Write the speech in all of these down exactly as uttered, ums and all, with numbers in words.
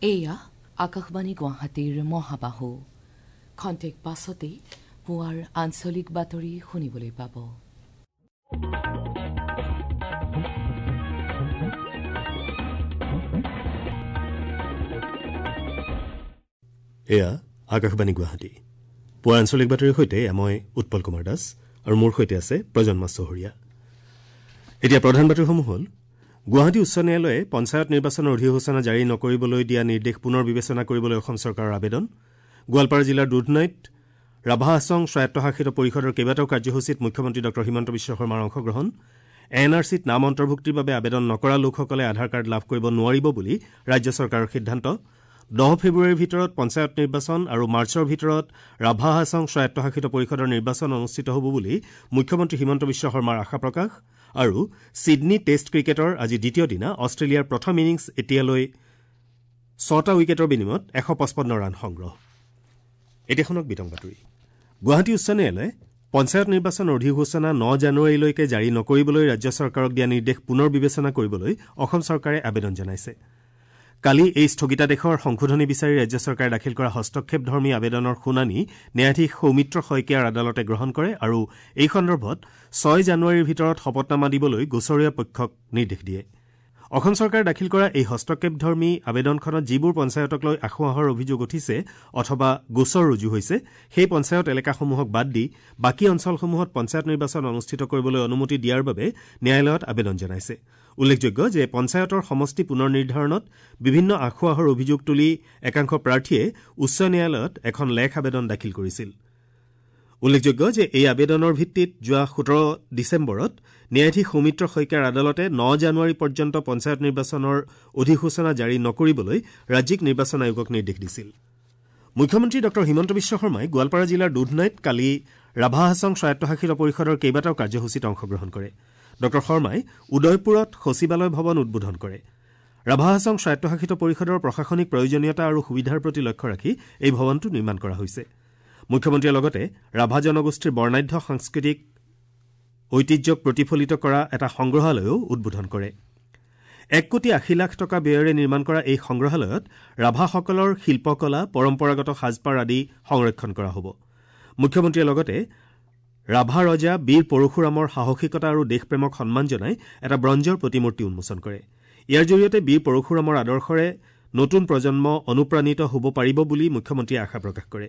এয়া আকাশবাণী গুৱাহাটীৰ মহাবাহু। খন্তেক পাছতেই পুৱাৰ আঞ্চলিক বাতৰি শুনিবলৈ পাব। এয়া আকাশবাণী গুৱাহাটী। পুৱাৰ আঞ্চলিক বাতৰিৰ সৈতে মই উৎপল কুমাৰ দাস আৰু মোৰ সৈতে আছে প্ৰজন্মা চহৰীয়া। এতিয়া প্ৰধান বাতৰিসমূহ হ'ল: গুৱাহাটী উচ্চ ন্যায়ালয়ে পঞ্চায়ত নিৰ্বাচনৰ অধিসূচনা জাৰি নকৰিবলৈ দিয়া নিৰ্দেশ পুনৰ বিবেচনা কৰিবলৈ অসম চৰকাৰৰ আবেদন। গোৱালপাৰা জিলাৰ দুধনৈত ৰাভা হাছং স্বায়ত্তশাসিত পৰিষদৰ কেইবাটাও কাৰ্যসূচীত মুখ্যমন্ত্ৰী ডঃ হিমন্ত বিশ্ব শৰ্মাৰ অংশগ্ৰহণ। এন আৰ চিত নাম অন্তৰ্ভুক্তিৰ বাবে আবেদন নকৰা লোকসকলে আধাৰ কাৰ্ড লাভ কৰিব নোৱাৰিব বুলি ৰাজ্য চৰকাৰৰ সিদ্ধান্ত। দহ ফেব্ৰুৱাৰীৰ ভিতৰত পঞ্চায়ত নিৰ্বাচন আৰু মাৰ্চৰ ভিতৰত ৰাভা হাছং স্বায়ত্তশাসিত পৰিষদৰ নিৰ্বাচন অনুষ্ঠিত হ'ব বুলি মুখ্যমন্ত্ৰী হিমন্ত বিশ্ব শৰ্মাৰ আশা প্ৰকাশ। আৰু ছিডনী টেষ্ট ক্ৰিকেটৰ আজি দ্বিতীয় দিনা অষ্ট্ৰেলিয়াৰ প্ৰথম ইনিংছ এতিয়ালৈ ছটা উইকেটৰ বিনিময়ত এশ পঁচপন্ন ৰান সংগ্ৰহ। এতিয়া শুনক বিতং বাতৰি। গুৱাহাটী উচ্চ ন্যায়ালয়ে পঞ্চায়ত নিৰ্বাচনৰ অধিসূচনা ন জানুৱাৰীলৈকে জাৰি নকৰিবলৈ ৰাজ্য চৰকাৰক দিয়া নিৰ্দেশ পুনৰ বিবেচনা কৰিবলৈ অসম চৰকাৰে আবেদন জনাইছে। কালি এই স্থগিতাদেশৰ সংশোধনী বিচাৰি ৰাজ্য চৰকাৰে দাখিল কৰা হস্তক্ষেপধৰ্মী আবেদনৰ শুনানি ন্যায়াধীশ সৌমিত্ৰ শইকীয়াৰ আদালতে গ্ৰহণ কৰে আৰু এই সন্দৰ্ভত ছয় জানুৱাৰীৰ ভিতৰত শপতনামা দিবলৈ গোচৰীয়া পক্ষক নিৰ্দেশ দিয়ে। অসম চৰকাৰে দাখিল কৰা এই হস্তক্ষেপধৰ্মী আবেদনখনত যিবোৰ পঞ্চায়তক লৈ আসোঁৱাহৰ অভিযোগ উঠিছে অথবা গোচৰ ৰুজু হৈছে সেই পঞ্চায়ত এলেকাসমূহক বাদ দি বাকী অঞ্চলসমূহত পঞ্চায়ত নিৰ্বাচন অনুষ্ঠিত কৰিবলৈ অনুমতি দিয়াৰ বাবে ন্যায়ালয়ত আবেদন জনাইছে। উল্লেখযোগ্য যে পঞ্চায়তৰ সমষ্টি পুনৰ নিৰ্ধাৰণত বিভিন্ন আসোঁৱাহৰ অভিযোগ তুলি একাংশ প্ৰাৰ্থীয়ে উচ্চ ন্যায়ালয়ত এখন লেখ আবেদন দাখিল কৰিছিল। উল্লেখযোগ্য যে এই আবেদনৰ ভিত্তিত যোৱা সোতৰ ডিচেম্বৰত ন্যায়াধীশ সৌমিত্ৰ শইকীয়াৰ আদালতে ন জানুৱাৰী পৰ্যন্ত পঞ্চায়ত নিৰ্বাচনৰ অধিসূচনা জাৰি নকৰিবলৈ ৰাজ্যিক নিৰ্বাচন আয়োগক নিৰ্দেশ দিছিল। মুখ্যমন্ত্ৰী ডঃ হিমন্ত বিশ্ব শৰ্মাই গোৱালপাৰা জিলাৰ দুধনৈত কালি ৰাভা হাছং স্বায়ত্তশাসিত পৰিষদৰ কেইবাটাও কাৰ্যসূচীত অংশগ্ৰহণ কৰে। ডঃ শৰ্মাই উদয়পুৰত সচিবালয় ভৱন উদ্বোধন কৰে। ৰাভা হাছং স্বায়ত্তশাসিত পৰিষদৰ প্ৰশাসনিক প্ৰয়োজনীয়তা আৰু সুবিধাৰ প্ৰতি লক্ষ্য ৰাখি এই ভৱনটো নিৰ্মাণ কৰা হৈছে। মুখ্যমন্ত্ৰীয়ে লগতে ৰাভা জনগোষ্ঠীৰ বৰ্ণাঢ্য সাংস্কৃতিক ঐতিহ্যক প্ৰতিফলিত কৰা এটা সংগ্ৰহালয়ো উদ্বোধন কৰে। এক কোটি আশী লাখ টকা ব্যয়েৰে নিৰ্মাণ কৰা এই সংগ্ৰহালয়ত ৰাভাসকলৰ শিল্পকলা, পৰম্পৰাগত সাজপাৰ আদি সংৰক্ষণ কৰা হ'ব। মুখ্যমন্ত্ৰীয়ে লগতে ৰাভা ৰজা বীৰ পৰশুৰামৰ সাহসিকতা আৰু দেশপ্ৰেমক সন্মান জনাই এটা ব্ৰঞ্জৰ প্ৰতিমূৰ্তি উন্মোচন কৰে। ইয়াৰ জৰিয়তে বীৰ পৰশুৰামৰ আদৰ্শৰে নতুন প্ৰজন্ম অনুপ্ৰাণিত হ'ব পাৰিব বুলি মুখ্যমন্ত্ৰীয়ে আশা প্ৰকাশ কৰে।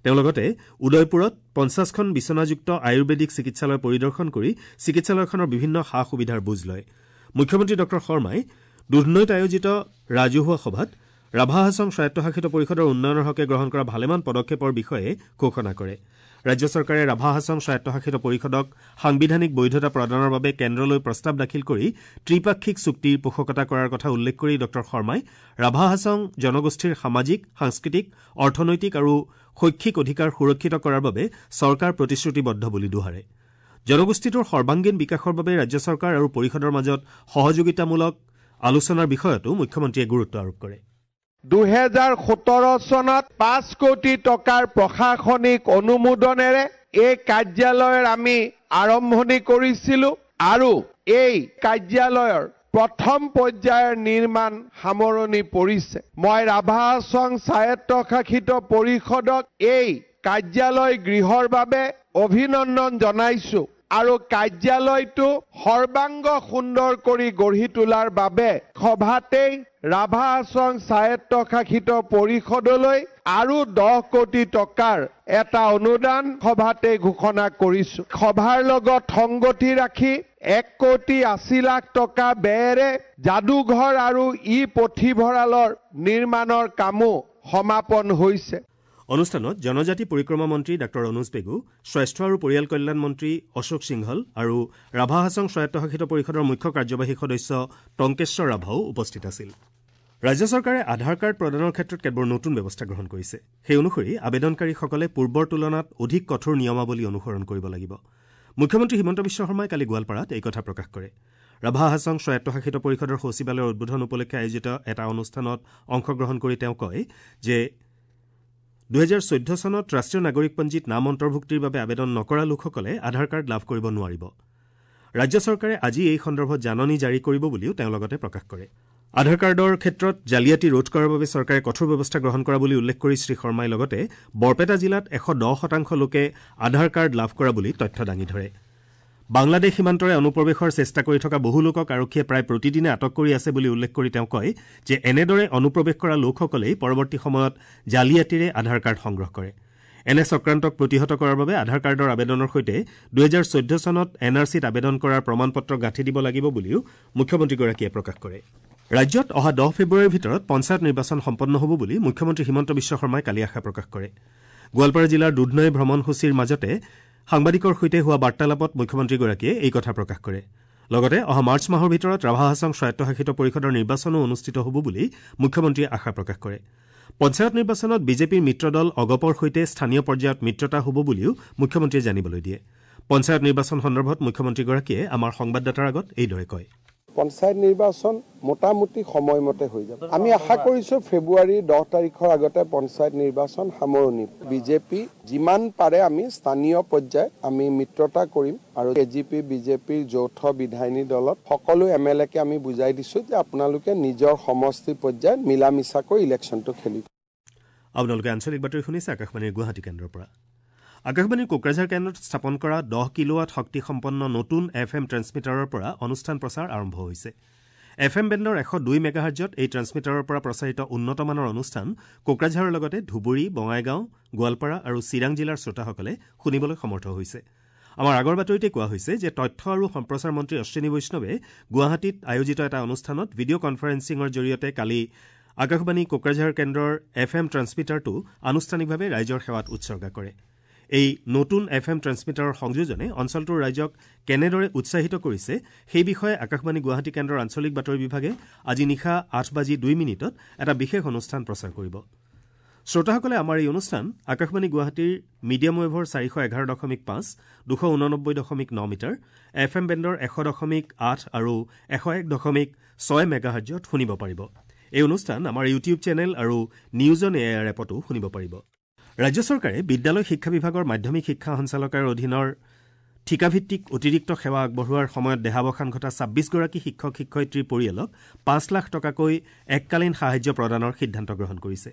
তেওঁ লগতে উদয়পুৰত পঞ্চাছখন বিচনাযুক্ত আয়ুৰ্বেদিক চিকিৎসালয় পৰিদৰ্শন কৰি চিকিৎসালয়খনৰ বিভিন্ন সা সুবিধাৰ বুজ লয়। মুখ্যমন্ত্ৰী ডঃ শৰ্মাই দুধনৈত আয়োজিত ৰাজহুৱা সভাত ৰাভা হাছং স্বায়ত্তশাসিত পৰিষদৰ উন্নয়নৰ হকে গ্ৰহণ কৰা ভালেমান পদক্ষেপৰ বিষয়ে ঘোষণা কৰে। ৰাজ্য চৰকাৰে ৰাভা হাছং স্বায়ত্তশাসিত পৰিষদক সাংবিধানিক বৈধতা প্ৰদানৰ বাবে কেন্দ্ৰলৈ প্ৰস্তাৱ দাখিল কৰি ত্ৰিপাক্ষিক চুক্তিৰ পোষকতা কৰাৰ কথা উল্লেখ কৰি ডঃ শৰ্মাই ৰাভা হাছং জনগোষ্ঠীৰ সামাজিক, সাংস্কৃতিক, অৰ্থনৈতিক আৰু শৈক্ষিক অধিকাৰ সুৰক্ষিত কৰাৰ বাবে চৰকাৰ প্ৰতিশ্ৰুতিবদ্ধ বুলি দোহাৰে। জনগোষ্ঠীটোৰ সৰ্বাংগীন বিকাশৰ বাবে ৰাজ্য চৰকাৰ আৰু পৰিষদৰ মাজত সহযোগিতামূলক আলোচনাৰ বিষয়তো মুখ্যমন্ত্ৰীয়ে গুৰুত্ব আৰোপ কৰে। দুহেজাৰ সোতৰ চনত পাঁচ কোটি টকাৰ প্ৰশাসনিক অনুমোদনেৰে এই কাৰ্যালয়ৰ আমি আৰম্ভণি কৰিছিলোঁ আৰু এই কাৰ্যালয়ৰ প্ৰথম পৰ্যায়ৰ নিৰ্মাণ সামৰণি পৰিছে। মই ৰাভা হাছং স্বায়ত্তশাসিত পৰিষদক এই কাৰ্যালয় গৃহৰ বাবে অভিনন্দন জনাইছোঁ আৰু কাৰ্যালয়টো সৰ্বাংগ সুন্দৰ কৰি গঢ়ি তোলাৰ বাবে সভাতেই ৰাভা হাছং স্বায়ত্তশাসিত পৰিষদলৈ আৰু দহ কোটি টকাৰ এটা অনুদান সভাতে ঘোষণা কৰিছোঁ। সভাৰ লগত সংগতি ৰাখি এক কোটি আশী লাখ টকা ব্যয়েৰে যাদুঘৰ আৰু ই পুথিভঁৰালৰ নিৰ্মাণৰ কামো সমাপন হৈছে। অনুষ্ঠানত জনজাতি পৰিক্ৰমা মন্ত্ৰী ডাঃ অনুজ পেগু, স্বাস্থ্য আৰু পৰিয়াল কল্যাণ মন্ত্ৰী অশোক সিংহল আৰু ৰাভা হাছং স্বায়ত্তশাসিত পৰিষদৰ মুখ্য কাৰ্যবাহী সদস্য টংকেশ্বৰ ৰাভাও উপস্থিত আছিল। ৰাজ্য চৰকাৰে আধাৰ কাৰ্ড প্ৰদানৰ ক্ষেত্ৰত কেতবোৰ নতুন ব্যৱস্থা গ্ৰহণ কৰিছে। সেই অনুসৰি আবেদনকাৰীসকলে পূৰ্বৰ তুলনাত অধিক কঠোৰ নিয়মাৱলী অনুসৰণ কৰিব লাগিব। মুখ্যমন্ত্ৰী হিমন্ত বিশ্ব শৰ্মাই কালি গোৱালপাৰাত এই কথা প্ৰকাশ কৰে। ৰাভা হাছং স্বায়ত্তশাসিত পৰিষদৰ সচিবালয়ৰ উদ্বোধন উপলক্ষে আয়োজিত এটা অনুষ্ঠানত অংশগ্ৰহণ কৰি তেওঁ কয় যে দুহেজাৰ চৈধ্য চনত ৰাষ্ট্ৰীয় নাগৰিকপঞ্জীত নাম অন্তৰ্ভুক্তিৰ বাবে আবেদন নকৰা লোকসকলে আধাৰ কাৰ্ড লাভ কৰিব নোৱাৰিব। ৰাজ্য চৰকাৰে আজি এই সন্দৰ্ভত জাননী জাৰি কৰিব বুলিও তেওঁ লগতে প্ৰকাশ কৰে। আধাৰ কাৰ্ডৰ ক্ষেত্ৰত জালিয়াতি ৰোধ কৰাৰ বাবে চৰকাৰে কঠোৰ ব্যৱস্থা গ্ৰহণ কৰা বুলি উল্লেখ কৰি শ্ৰী শৰ্মাই লগতে বৰপেটা জিলাত এশ দহ শতাংশ লোকে আধাৰ কাৰ্ড লাভ কৰা বুলি তথ্য দাঙি ধৰে। বাংলাদেশ সীমান্তৰে অনুপ্ৰৱেশৰ চেষ্টা কৰি থকা বহু লোকক আৰক্ষীয়ে প্ৰায় প্ৰতিদিনে আটক কৰি আছে বুলি উল্লেখ কৰি তেওঁ কয় যে এনেদৰে অনুপ্ৰৱেশ কৰা লোকসকলেই পৰৱৰ্তী সময়ত জালিয়াতিৰে আধাৰ কাৰ্ড সংগ্ৰহ কৰে। এনে চক্ৰান্তক প্ৰতিহত কৰাৰ বাবে আধাৰ কাৰ্ডৰ আবেদনৰ সৈতে দুহেজাৰ চৈধ্য চনত এন আৰ চিত আবেদন কৰাৰ প্ৰমাণ পত্ৰ গাঁঠি দিব লাগিব বুলিও মুখ্যমন্ত্ৰীগৰাকীয়ে প্ৰকাশ কৰে। ৰাজ্যত অহা দহ ফেব্ৰুৱাৰীৰ ভিতৰত পঞ্চায়ত নিৰ্বাচন সম্পন্ন হ'ব বুলি মুখ্যমন্ত্ৰী হিমন্ত বিশ্ব শৰ্মাই কালি আশা প্ৰকাশ কৰে। গোৱালপাৰা জিলাৰ দুধনৈ ভ্ৰমণসূচীৰ মাজতে সাংবাদিকৰ সৈতে হোৱা বাৰ্তালাপত মুখ্যমন্ত্ৰীগৰাকীয়ে এই কথা প্ৰকাশ কৰে। লগতে অহা মাৰ্চ মাহৰ ভিতৰত ৰাভা হাছং স্বায়ত্তশাসিত পৰিষদৰ নিৰ্বাচনো অনুষ্ঠিত হ'ব বুলি মুখ্যমন্ত্ৰীয়ে আশা প্ৰকাশ কৰে। পঞ্চায়ত নিৰ্বাচনত বিজেপিৰ মিত্ৰদল অগপৰ সৈতে স্থানীয় পৰ্যায়ত মিত্ৰতা হ'ব বুলিও মুখ্যমন্ত্ৰীয়ে জানিবলৈ দিয়ে। পঞ্চায়ত নিৰ্বাচন সন্দৰ্ভত মুখ্যমন্ত্ৰীগৰাকীয়ে আমাৰ সংবাদদাতাৰ আগত এইদৰে কয়। পঞ্চায়ত নিৰ্বাচন মোটামুটি সময়মতে হৈ যাব। আমি আশা কৰিছোঁ ফেব্ৰুৱাৰী দহ তাৰিখৰ আগতে পঞ্চায়ত নিৰ্বাচন সামৰণি। বিজেপি যিমান পাৰে আমি স্থানীয় পৰ্যায়ত আমি মিত্ৰতা কৰিম আৰু এ জি পি বিজেপিৰ যৌথ বিধায়িনী দলত সকলো এম এল একে আমি বুজাই দিছোঁ যে আপোনালোকে নিজৰ সমষ্টি পৰ্যায়ত মিলা মিছাকৈ ইলেকশ্যনটো খেলিব। আপোনালোকে আঞ্চলিক বাতৰি শুনিছে আকাশবাণীৰ গুৱাহাটী কেন্দ্ৰৰ পৰা। আকাশবাণীৰ কোকৰাঝাৰ কেন্দ্ৰত স্থাপন কৰা দহ কিলোৱাট শক্তিসম্পন্ন নতুন এফ এম ট্ৰেন্সমিটাৰৰ পৰা অনুষ্ঠান প্ৰচাৰ আৰম্ভ হৈছে। এফ এম বেণ্ডৰ এশ দুই মেগাহাৰ্জত এই ট্ৰেন্সমিটাৰৰ পৰা প্ৰচাৰিত উন্নতমানৰ অনুষ্ঠান কোকৰাঝাৰৰ লগতে ধুবুৰী, বঙাইগাঁও, গোৱালপাৰা আৰু চিৰাং জিলাৰ শ্ৰোতাসকলে শুনিবলৈ সমৰ্থ হৈছে। আমাৰ আগৰ বাতৰিতে কোৱা হৈছে যে তথ্য আৰু সম্প্ৰচাৰ মন্ত্ৰী অশ্বিনী বৈষ্ণৱে গুৱাহাটীত আয়োজিত এটা অনুষ্ঠানত ভিডিঅ' কনফাৰেন্সিঙৰ জৰিয়তে কালি আকাশবাণী কোকৰাঝাৰ কেন্দ্ৰৰ এফ এম ট্ৰেন্সমিটাৰটো আনুষ্ঠানিকভাৱে ৰাইজৰ সেৱাত উৎসৰ্গা কৰে। এই নতুন এফ এম ট্ৰেন্সমিটাৰৰ সংযোজনে অঞ্চলটোৰ ৰাইজক কেনেদৰে উৎসাহিত কৰিছে সেই বিষয়ে আকাশবাণী গুৱাহাটী কেন্দ্ৰৰ আঞ্চলিক বাতৰি বিভাগে আজি নিশা আঠ বাজি দুই মিনিটত এটা বিশেষ অনুষ্ঠান প্ৰচাৰ কৰিব। শ্ৰোতাসকলে আমাৰ এই অনুষ্ঠান আকাশবাণী গুৱাহাটীৰ মিডিয়াম ৱেভৰ চাৰিশ এঘাৰ দশমিক পাঁচ, দুশ ঊননব্বৈ দশমিক ন মিটাৰ, এফ এম বেণ্ডৰ এশ দশমিক আঠ আৰু এশ এক দশমিক ছয় মেগাহাৰ্জত শুনিব পাৰিব। এই অনুষ্ঠান আমাৰ ইউটিউব চেনেল আৰু নিউজ অন এ আৰ এপতো শুনিব পাৰিব। ৰাজ্য চৰকাৰে বিদ্যালয় শিক্ষা বিভাগৰ মাধ্যমিক শিক্ষা সঞ্চালকালয়ৰ অধীনৰ ঠিকাভিত্তিক অতিৰিক্ত সেৱা আগবঢ়োৱাৰ সময়ত দেহাৱসান ঘটা ছাব্বিছগৰাকী শিক্ষক শিক্ষয়িত্ৰীৰ পৰিয়ালক পাঁচ লাখ টকাকৈ এককালীন সাহায্য প্ৰদানৰ সিদ্ধান্ত গ্ৰহণ কৰিছে।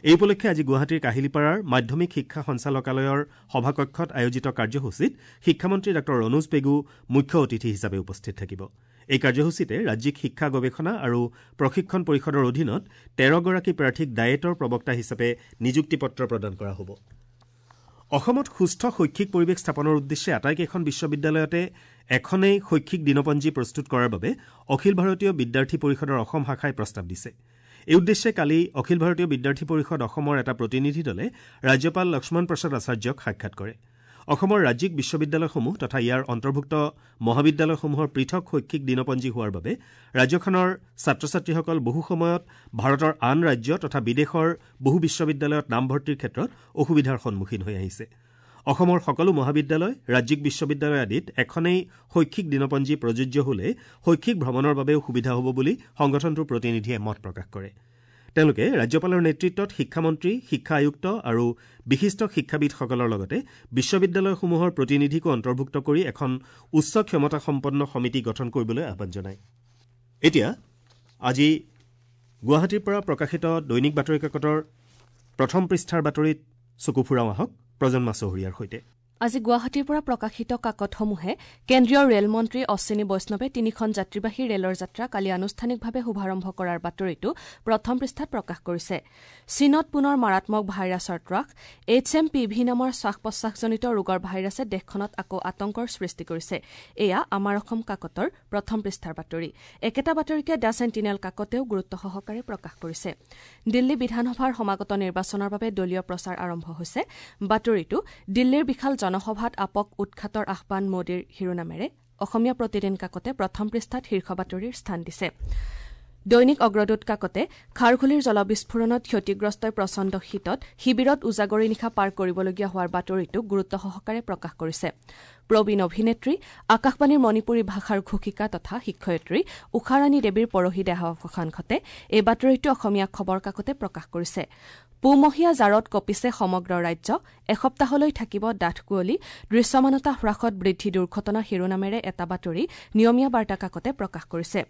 এই উপলক্ষে আজি গুৱাহাটীৰ কাহিলীপাৰাৰ মাধ্যমিক শিক্ষা সঞ্চালকালয়ৰ সভাকক্ষত আয়োজিত কাৰ্যসূচীত শিক্ষামন্ত্ৰী ডাঃ ৰণোজ পেগু মুখ্য অতিথি হিচাপে উপস্থিত থাকিব। এই কাৰ্যসূচীতে ৰাজ্যিক শিক্ষা গৱেষণা আৰু প্ৰশিক্ষণ পৰিষদৰ অধীনত তেৰগৰাকী প্ৰাৰ্থীক ডায়েটৰ প্ৰবক্তা হিচাপে নিযুক্তি পত্ৰ প্ৰদান কৰা হ'ব। অসমত সুস্থ শৈক্ষিক পৰিৱেশ স্থাপনৰ উদ্দেশ্যে আটাইকেইখন বিশ্ববিদ্যালয়তে এখনেই শৈক্ষিক দিনপঞ্জী প্ৰস্তুত কৰাৰ বাবে অখিল ভাৰতীয় বিদ্যাৰ্থী পৰিষদৰ অসম শাখাই প্ৰস্তাৱ দিছে। এই উদ্দেশ্যে কালি অখিল ভাৰতীয় বিদ্যাৰ্থী পৰিষদ অসমৰ এটা প্ৰতিনিধি দলে ৰাজ্যপাল লক্ষ্মণ প্ৰসাদ আচাৰ্যক সাক্ষাৎ কৰে। অসমৰ ৰাজ্যিক বিশ্ববিদ্যালয়সমূহ তথা ইয়াৰ অন্তৰ্ভুক্ত মহাবিদ্যালয়সমূহৰ পৃথক শৈক্ষিক দিনপঞ্জী হোৱাৰ বাবে ৰাজ্যখনৰ ছাত্ৰ ছাত্ৰীসকল বহু সময়ত ভাৰতৰ আন ৰাজ্য তথা বিদেশৰ বহু বিশ্ববিদ্যালয়ত নামভৰ্তিৰ ক্ষেত্ৰত অসুবিধাৰ সন্মুখীন হৈ আহিছে। অসমৰ সকলো মহাবিদ্যালয়, ৰাজ্যিক বিশ্ববিদ্যালয় আদিত এখনেই শৈক্ষিক দিনপঞ্জী প্ৰযোজ্য হলে শৈক্ষিক ভ্ৰমণৰ বাবেও সুবিধা হ'ব বুলি সংগঠনটোৰ প্ৰতিনিধিয়ে মত প্ৰকাশ কৰে। তেওঁলোকে ৰাজ্যপালৰ নেতৃত্বত শিক্ষামন্ত্ৰী, শিক্ষা আয়ুক্ত আৰু বিশিষ্ট শিক্ষাবিদসকলৰ লগতে বিশ্ববিদ্যালয়সমূহৰ প্ৰতিনিধিকো অন্তৰ্ভুক্ত কৰি এখন উচ্চ ক্ষমতাসম্পন্ন সমিতি গঠন কৰিবলৈ আহ্বান জনায়। এতিয়া আজি গুৱাহাটীৰ পৰা প্ৰকাশিত দৈনিক বাতৰি কাকতৰ প্ৰথম পৃষ্ঠাৰ বাতৰিত চকু ফুৰাওঁ আহক প্ৰজন্মা চহৰীয়াৰ সৈতে। আজি গুৱাহাটীৰ পৰা প্ৰকাশিত কাকতসমূহে কেন্দ্ৰীয় ৰেলমন্ত্ৰী অশ্বিনী বৈষ্ণৱে তিনিখন যাত্ৰীবাহী ৰেলৰ যাত্ৰা কালি আনুষ্ঠানিকভাৱে শুভাৰম্ভ কৰাৰ বাতৰিটো প্ৰথম পৃষ্ঠাত প্ৰকাশ কৰিছে। চীনত পুনৰ মাৰাত্মক ভাইৰাছৰ ত্ৰাস, এইচ এম পি ভি নামৰ শ্বাস প্ৰশ্বাসজনিত ৰোগৰ ভাইৰাছে দেশখনত আকৌ আতংকৰ সৃষ্টি কৰিছে। এয়া আমাৰ অসম কাকতৰ প্ৰথম পৃষ্ঠাৰ বাতৰি। একেটা বাতৰিকে the sentinel কাকতেও গুৰুত্ব সহকাৰে প্ৰকাশ কৰিছে। দিল্লী বিধানসভাৰ সমাগত নিৰ্বাচনৰ বাবে দলীয় প্ৰচাৰ আৰম্ভ হৈছে। বাতৰিটো দিল্লীৰ বিশাল জনসভাত আপক উৎখাতৰ আহ্বান মোদীৰ শিৰোনামেৰে অসমীয়া প্ৰতিদিন কাকতে প্ৰথম পৃষ্ঠাত শীৰ্ষ বাতৰিৰ স্থান দিছে। দৈনিক অগ্ৰদূত কাকতে খাৰঘুলিৰ জলবিস্ফোৰণত ক্ষতিগ্ৰস্তই প্ৰচণ্ড শীতত শিবিৰত উজাগৰি নিশা পাৰ কৰিবলগীয়া হোৱাৰ বাতৰিটোক গুৰুত্ব সহকাৰে প্ৰকাশ কৰিছে। প্ৰবীণ অভিনেত্ৰী, আকাশবাণীৰ মণিপুৰী ভাষাৰ ঘোষিকা তথা শিক্ষয়িত্ৰী ঊষাৰাণী দেৱীৰ পৰহি দেহাৱসান ঘটে। এই বাতৰিটো অসমীয়া খবৰ কাকতে প্ৰকাশ কৰিছে। পুহমহীয়া জাৰত কঁপিছে সমগ্ৰ ৰাজ্য, এসপ্তাহলৈ থাকিব ডাঠ কুঁৱলী, দৃশ্যমানতা হ্ৰাসত বৃদ্ধি দুৰ্ঘটনা শিৰোনামেৰে এটা বাতৰি নিয়মীয়া বাৰ্তা কাকতে প্ৰকাশ কৰিছে।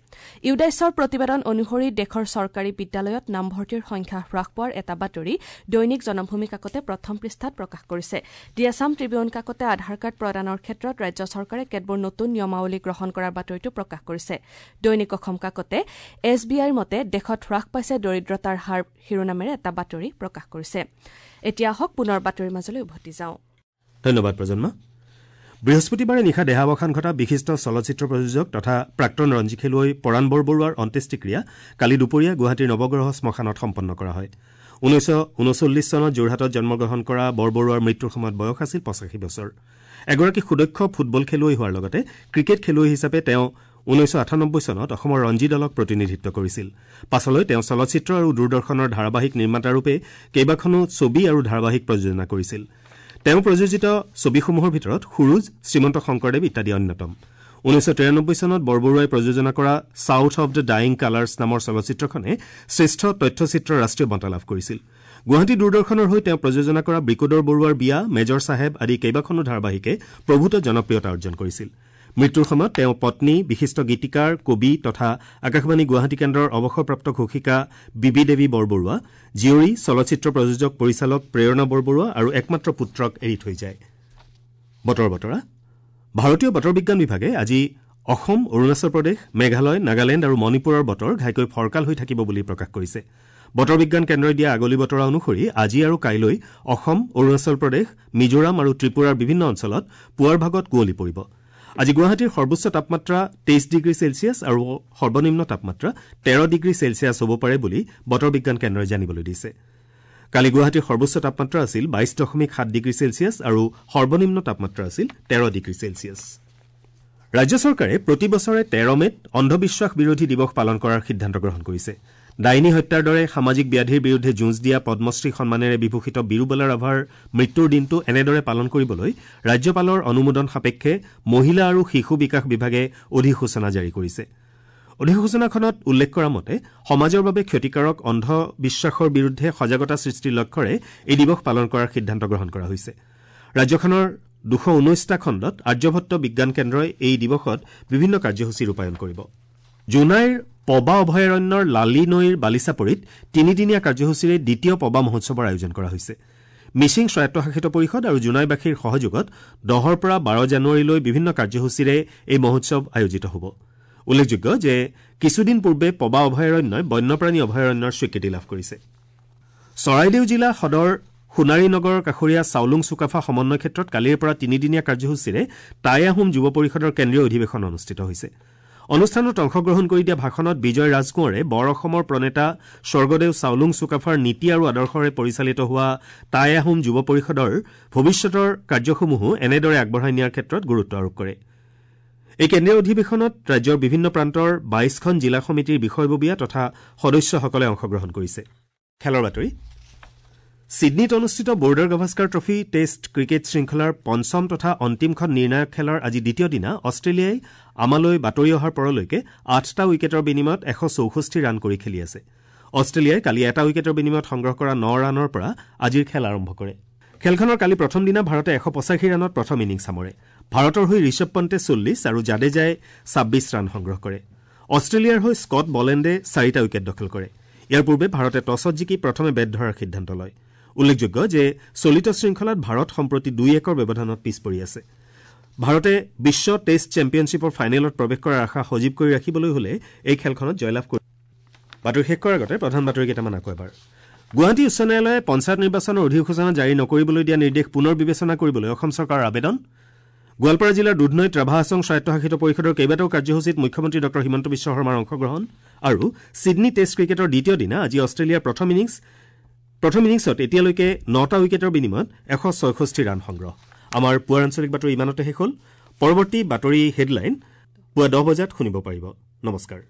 ইউডাইছৰ প্ৰতিবেদন অনুসৰি দেশৰ চৰকাৰী বিদ্যালয়ত নামভৰ্তিৰ সংখ্যা হ্ৰাস পোৱাৰ এটা বাতৰি দৈনিক জনমভূমি কাকতে প্ৰথম পৃষ্ঠাত প্ৰকাশ কৰিছে। দি আছাম ট্ৰিবিউন কাকতে আধাৰ কাৰ্ড প্ৰদানৰ ক্ষেত্ৰত ৰাজ্য চৰকাৰে কেতবোৰ নতুন নিয়মাৱলী গ্ৰহণ কৰাৰ বাতৰিটো প্ৰকাশ কৰিছে। দৈনিক অসম কাকতে এছ বি আইৰ মতে দেশত হ্ৰাস পাইছে দৰিদ্ৰতাৰ হাৰ শিৰোনামেৰে এটা বাতৰি প্ৰকাশ কৰিছে। এতিয়া আহক পুনৰ বাতৰিৰ মাজলৈ উভতি যাওঁ। ধন্যবাদ প্ৰজন্মা। বৃহস্পতিবাৰে নিশা দেহাৱসান ঘটা বিশিষ্ট চলচ্চিত্ৰ প্ৰযোজক তথা প্ৰাক্তন ৰঞ্জী খেলুৱৈ পৰাণ বৰবৰুৱাৰ অন্ত্যেষ্টিক্ৰিয়া কালি দুপৰীয়া গুৱাহাটীৰ নৱগ্ৰহ শ্মশানত সম্পন্ন কৰা হয়। ঊনৈছশ ঊনচল্লিছ চনত যোৰহাটত জন্মগ্ৰহণ কৰা বৰবৰুৱাৰ মৃত্যুৰ সময়ত বয়স আছিল পঁচাশী বছৰ। এগৰাকী সুদক্ষ ফুটবল খেলুৱৈ হোৱাৰ লগতে ক্ৰিকেট খেলুৱৈ হিচাপে তেওঁ ঊনৈছশ আঠানব্বৈ চনত অসমৰ ৰঞ্জী দলক প্ৰতিনিধিত্ব কৰিছিল। পাছলৈ তেওঁ চলচ্চিত্ৰ আৰু দূৰদৰ্শনৰ ধাৰাবাহিক নিৰ্মাতাৰূপে কেইবাখনো ছবি আৰু ধাৰাবাহিক প্ৰযোজনা কৰিছিল। তেওঁ প্ৰযোজিত ছবিসমূহৰ ভিতৰত সুৰুজ, শ্ৰীমন্ত শংকৰদেৱ ইত্যাদি অন্যতম। ঊনৈছশ তিৰানব্বৈ চনত বৰবৰুৱাই প্ৰযোজনা কৰা south of the dying colours নামৰ চলচ্চিত্ৰখনে শ্ৰেষ্ঠ তথ্যচিত্ৰৰ ৰাষ্ট্ৰীয় বঁটা লাভ কৰিছিল। গুৱাহাটী দূৰদৰ্শনৰ হৈ তেওঁ প্ৰযোজনা কৰা বৃকোদৰ বৰুৱাৰ বিয়া, মেজৰ চাহেব আদি কেইবাখনো ধাৰাবাহিকে প্ৰভূত জনপ্ৰিয়তা অৰ্জন কৰিছিল। মৃত্যুৰ সময়ত তেওঁ পত্নী, বিশিষ্ট গীতিকাৰ, কবি তথা আকাশবাণী গুৱাহাটী কেন্দ্ৰৰ অৱসৰপ্ৰাপ্ত ঘোষিকা বিবি দেৱী বৰবৰুৱা, জীয়ৰী, চলচ্চিত্ৰ প্ৰযোজক পৰিচালক প্ৰেৰণা বৰবৰুৱা আৰু একমাত্ৰ পুত্ৰক এৰি থৈ যায়। বতৰ বতৰা। ভাৰতীয় বতৰ বিজ্ঞান বিভাগে আজি অসম, অৰুণাচল প্ৰদেশ, মেঘালয়, নাগালেণ্ড আৰু মণিপুৰৰ বতৰ ঘাইকৈ ফৰকাল হৈ থাকিব বুলি প্ৰকাশ কৰিছে। বতৰ বিজ্ঞান কেন্দ্ৰই দিয়া আগলি বতৰা অনুসৰি আজি আৰু কাইলৈ অসম, অৰুণাচল প্ৰদেশ, মিজোৰাম আৰু ত্ৰিপুৰাৰ বিভিন্ন অঞ্চলত পুৱাৰ ভাগত কুঁৱলী পৰিব। আজি গুৱাহাটীৰ সৰ্বোচ্চ তাপমাত্ৰা তেইছ ডিগ্ৰী চেলছিয়াছ আৰু সৰ্বনিম্ন তাপমাত্ৰা তেৰ ডিগ্ৰী চেলছিয়াছ হ'ব পাৰে বুলি বতৰ বিজ্ঞান কেন্দ্ৰই জানিবলৈ দিছে। কালি গুৱাহাটীৰ সৰ্বোচ্চ তাপমাত্ৰা আছিল বাইছ দশমিক সাত ডিগ্ৰী চেলছিয়াছ আৰু সৰ্বনিম্ন তাপমাত্ৰা আছিল তেৰ ডিগ্ৰী চেলছিয়াছ। ৰাজ্য চৰকাৰে প্ৰতি বছৰে তেৰ মে'ত অন্ধবিশ্বাস বিৰোধী দিৱস পালন কৰাৰ সিদ্ধান্ত গ্ৰহণ কৰিছে। ডাইনী হত্যাৰ দৰে সামাজিক ব্যাধিৰ বিৰুদ্ধে যুঁজ দিয়া পদ্মশ্ৰী সন্মানেৰে বিভূষিত বীৰুবালা ৰাভাৰ মৃত্যুৰ দিনটো এনেদৰে পালন কৰিবলৈ ৰাজ্যপালৰ অনুমোদন সাপেক্ষে মহিলা আৰু শিশু বিকাশ বিভাগে অধিসূচনা জাৰি কৰিছে। অধিসূচনাখনত উল্লেখ কৰা মতে সমাজৰ বাবে ক্ষতিকাৰক অন্ধবিশ্বাসৰ বিৰুদ্ধে সজাগতা সৃষ্টিৰ লক্ষ্যৰে এই দিৱস পালন কৰাৰ সিদ্ধান্ত গ্ৰহণ কৰা হৈছে। ৰাজ্যখনৰ দুশ ঊনৈছটা খণ্ডত আৰ্যভট্ট বিজ্ঞান কেন্দ্ৰই এই দিৱসত বিভিন্ন কাৰ্যসূচী ৰূপায়ণ কৰিব। জোনাইৰ পবা অভয়াৰণ্যৰ লালী নৈৰ বালিচাপৰিত তিনিদিনীয়া কাৰ্যসূচীৰে দ্বিতীয় পবা মহোৎসৱৰ আয়োজন কৰা হৈছে। মিচিং স্বায়ত্তশাসিত পৰিষদ আৰু জোনাইবাসীৰ সহযোগত দহৰ পৰা বাৰ জানুৱাৰীলৈ বিভিন্ন কাৰ্যসূচীৰে এই মহোৎসৱ আয়োজিত হ'ব। উল্লেখযোগ্য যে কিছুদিন পূৰ্বে পবা অভয়াৰণ্যই বন্যপ্ৰাণী অভয়াৰণ্যৰ স্বীকৃতি লাভ কৰিছে। চৰাইদেউ জিলা সদৰ সোণাৰী নগৰৰ কাষৰীয়া চাওলুং চুকাফা সমন্বয় ক্ষেত্ৰত কালিৰ পৰা তিনিদিনীয়া কাৰ্যসূচীৰে টাই আহোম যুৱ পৰিষদৰ কেন্দ্ৰীয় অধিৱেশন অনুষ্ঠিত হৈছে। অনুষ্ঠানত অংশগ্ৰহণ কৰি দিয়া ভাষণত বিজয় ৰাজকোঁৱৰে বৰ অসমৰ প্ৰণেতা স্বৰ্গদেউ চাওলুং চুকাফাৰ নীতি আৰু আদৰ্শৰে পৰিচালিত হোৱা টাই আহোম যুৱ পৰিষদৰ ভৱিষ্যতৰ কাৰ্যসমূহো এনেদৰে আগবঢ়াই নিয়াৰ ক্ষেত্ৰত গুৰুত্ব আৰোপ কৰে। এই কেন্দ্ৰীয় অধিৱেশনত ৰাজ্যৰ বিভিন্ন প্ৰান্তৰ বাইছখন জিলা সমিতিৰ বিষয়ববীয়া তথা সদস্যসকলে অংশগ্ৰহণ কৰিছে। খেলৰ বাতৰি। ছিডনীত অনুষ্ঠিত Border Gavaskar trophy test cricket শৃংখলাৰ পঞ্চম তথা অন্তিমখন নিৰ্ণায়ক খেলৰ আজি দ্বিতীয় দিনা অষ্ট্ৰেলিয়াই আমালৈ বাতৰি অহাৰ পৰলৈকে আঠটা উইকেটৰ বিনিময়ত এশ চৌষষ্ঠি ৰান কৰি খেলি আছে। অষ্ট্ৰেলিয়াই কালি এটা উইকেটৰ বিনিময়ত সংগ্ৰহ কৰা ন ৰানৰ পৰা আজিৰ খেল আৰম্ভ কৰে। খেলখনৰ কালি প্ৰথম দিনা ভাৰতে এশ পঁচাশী ৰানত প্ৰথম ইনিংছ সামৰে। ভাৰতৰ হৈ ঋষভ পণ্টে চল্লিছ আৰু জাডেজাই ছাব্বিছ ৰান সংগ্ৰহ কৰে। অষ্ট্ৰেলিয়াৰ হৈ স্কট বলেণ্ডে চাৰিটা উইকেট দখল কৰে। ইয়াৰ পূৰ্বে ভাৰতে টছত জিকি প্ৰথমে বেট ধৰাৰ সিদ্ধান্ত লয়। উল্লেখযোগ্য যে চলিত শৃংখলাত ভাৰত সম্প্ৰতি দুই একৰ ব্যৱধানত পিছ পৰি আছে। ভাৰতে বিশ্ব টেষ্ট চেম্পিয়নশ্বিপৰ ফাইনেলত প্ৰৱেশ কৰাৰ আশা সজীৱ কৰি ৰাখিবলৈ হলে এই খেলখনত জয়লাভ কৰিব। বাতৰি শেষ কৰাৰ আগতে প্ৰধান বাতৰি কেইটামান আকৌ এবাৰ। গুৱাহাটী উচ্চ ন্যায়ালয়ে পঞ্চায়ত নিৰ্বাচনৰ অধিসূচনা জাৰি নকৰিবলৈ দিয়া নিৰ্দেশ পুনৰ বিবেচনা কৰিবলৈ অসম চৰকাৰৰ আবেদন। গোৱালপাৰা জিলাৰ দুধনৈত ৰাভা হাছং স্বায়ত্তশাসিত পৰিষদৰ কেইবাটাও কাৰ্যসূচীত মুখ্যমন্ত্ৰী ডঃ হিমন্ত বিশ্ব শৰ্মাৰ অংশগ্ৰহণ। আৰু ছিডনী টেষ্ট ক্ৰিকেটৰ দ্বিতীয় দিনা আজি অষ্ট্ৰেলিয়াৰ প্ৰথম ইনিংছ প্ৰথম ইনিংছত এতিয়ালৈকে নটা উইকেটৰ বিনিময়ত এশ ছয়ষষ্ঠি ৰান সংগ্ৰহ। আমাৰ পুৱাৰ আঞ্চলিক বাতৰি ইমানতে শেষ হ'ল। পৰৱৰ্তী বাতৰি হেডলাইন পুৱা দহ বজাত শুনিব পাৰিব। নমস্কাৰ।